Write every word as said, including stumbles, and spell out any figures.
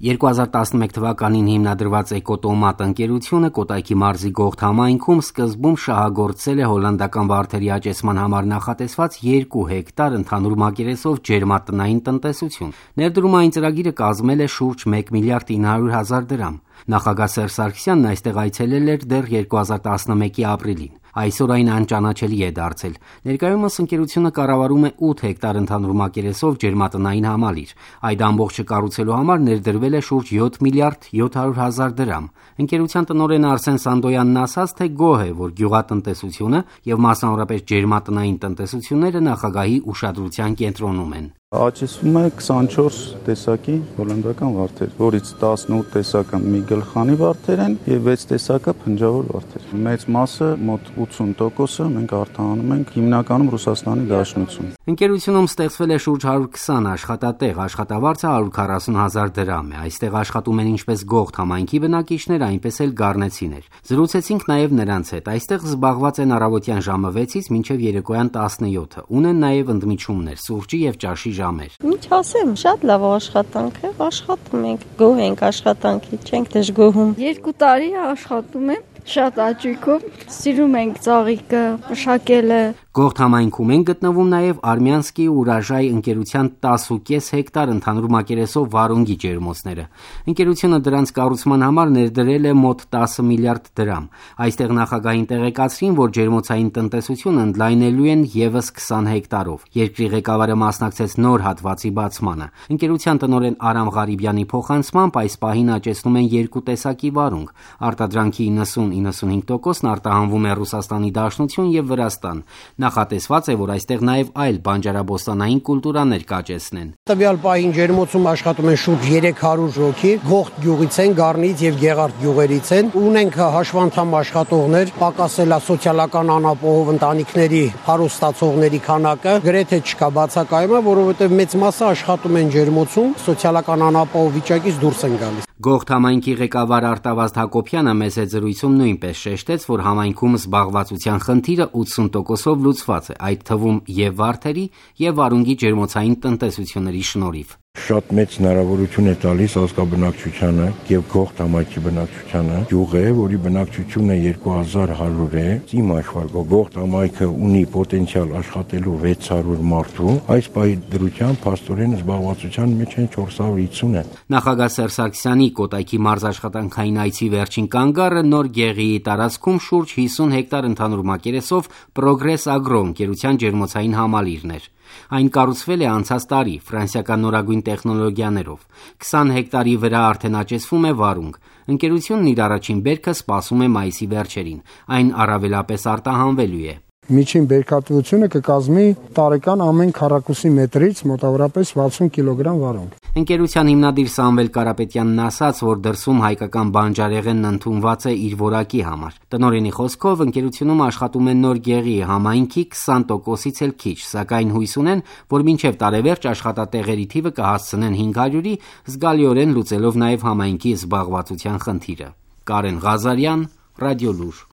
երկու հազար տասնմեկ թվականին հիմնադրված Էկոտոմատ ընկերությունը Կոտայքի մարզի Գողթ համայնքում սկզբում շահագործել է հոլանդական վարդերի աճեցման համար նախատեսված երկու հեկտար ընդհանուր մակերեսով ջերմատնային տնտեսություն։ Ներդրումային ծրագիրը կազմել է շուրջ մեկ միլիարդ ինը հարյուր հազար դրամ։ Նախագահ Սերժ Սարգսյանն այստեղ այցելել էր դեռ երկու հազար տասնմեկի ապրիլին։ Այսօր այն անճանաչելի է դարձել։ Ներկայումս ընկերությունը կառավարում է ութ հեկտար ընդհանուր մակերեսով ջերմատնային համալիր։ Այդ ամբողջը կառուցելու համար ներդրվել է շուրջ յոթ միլիարդ յոթ հարյուր հազար դրամ։ Ընկերության տնօրեն Արսեն Սանդոյանն ասաց, թե գոհ է, որ գյուղատնտեսությունը եւ մասնավորապես ջերմատնային տնտեսությունները նախագահի ուշադրության կենտրոնում են։ Աճեցվում է քսանչորս տեսակի հոլանդական վարդեր, որից տասնութ տեսակը միգլխանի վարդեր են եւ վեց տեսակը փնջավոր վարդեր։ Մեծ մասը մոտ ութսուն տոկոսը մենք արտահանում ենք հիմնականում Ռուսաստանի Դաշնություն։ Ընկերությունում ստեղծվել է շուրջ հարյուր քսան աշխատատեղ, աշխատավարձը հարյուր քառասուն հազար դրամ է։ Այստեղ աշխատում են ինչպես Գողթ համայնքի բնակիչներ, այնպես էլ գառնեցիներ։ Զրուցեցինք նաեւ նրանց հետ։ Այստեղ զբաղված են առավոտյան ժամը վեցից մինչև երեկոյան տասնյոթը։ Ունեն նաեւ ընդմիջումներ, սուրճի եւ ճաշի ժամեր։ Ինչ ասեմ, շատ լավ աշխատանք է, աշխատում ենք, գոհ ենք աշխատանքի, չենք դժգոհում։ Երկու տարի աշխատում եմ, շատ աճույքով, սիրում ենք ծաղիկը, մշակելը։ Գողթ համայնքում են գտնվում նաև Արմյանսկի Ուրաժայ ընկերության տասնուկես հեկտար ընդհանուր մակերեսով վարունգի ջերմոցները։ Ընկերությունը դրանց կառուցման համար ներդրել է մոտ տասը միլիարդ դրամ։ Այստեղ նախագահին տեղեկացրին, որ ջերմոցային տնտեսությունը ընդլայնելու են ևս քսան հեկտարով։ Երկրի ղեկավարը մասնակցեց նոր հատվածի բացմանը։ Ընկերության տնօրեն Արամ Ղարիբյանի փոխանցմամբ այս պահին աճեցնում են երկու տեսակի վարունգ։ Արտադրանքի իննսուն իննսունհինգ տոկոսն արտահանվում է Ռուսաստանի Դաշնություն եւ Վրաստան։ Նախատեսված է, որ այստեղ նաև այլ բանջարաբոստանային կուլտուրաներ կաճեցնեն։ Տվյալ պահին ջերմոցում աշխատում են շուրջ երեք հարյուր հոգի, Գողթ գյուղից են, Գառնից եւ Գեղարդ գյուղերից են։ Ունենք հաշվանդամ աշխատողներ, պակասել է սոցիալական անապահով ընտանիքների հարուստացողների քանակը, գրեթե չկա բացակայումը, որովհետեւ մեծ մասը աշխատում են ջերմոցում, սոցիալական անապահով վիճակից դուրս են գալիս։ Գողթ համայնքի ղեկավար Արտավազդ Հակոբյանը մեծ զրույցում նույնպես շեշտեց, որ համայնքում զբաղվածության խնդիրը ութսուն տոկոսով լուծված է, այդ թվում եւ վարդերի եւ վարունգի ջերմոցային տնտեսությունների շնորհիվ։ Շատ մեծ հնարավորություն է տալիս ազգաբնակչությանը եւ Գողթ համայնքի բնակչությանը։ Գյուղ է, որի բնակչությունը երկու հազար հարյուր է։ Իմ հաշվարկով Գողթ համայնքը ունի պոտենցիալ աշխատելու վեց հարյուր մարդու, այս պահի դրությամբ փաստորեն զբաղվածության մեջ են չորս հարյուր հիսուն է։ Նախագահ Սերժ Սարգսյանի Կոտայքի մարզ աշխատանքային այցի վերջին կանգառը Նոր Գեղիի տարածքում շուրջ հիսուն հեկտար ընդհանուր մակերեսով Progress Agro ընկերության ջերմոցային համալիրն էր։ Այն կառուցվել է անցած տարի ֆրանսիական նորագույն տեխնոլոգիաներով։ քսան հեկտարի վրա արդեն աճեցվում է վարունգ։ Ընկերությունն իր առաջին բերքը սպասում է մայիսի վերջերին։ Այն առավելապես արտահանվելու է։ Միջին բերքատվությունը կկազմի տարեկան ամեն քառակուսի մետրից մոտավորապես վաթսուն կիլոգրամ վարունգ։ Ընկերության հիմնադիր Սամվել Կարապետյանն ասաց, որ դրսում հայկական բանջարեղենն ընդունված է իր որակի համար։ Տնօրենի խոսքով ընկերությունում աշխատում են Նոր Գեղիի համայնքի քսան տոկոսից էլ քիչ, սակայն հույս ունեն, որ մինչև տարեվերջ աշխատատեղերի թիվը կհասցնեն հինգ հարյուրի, զգալիորեն լուծելով նաև համայնքի զբաղվածության խնդիրը։ Կարեն Ղազարյան, Ռադիոլուր։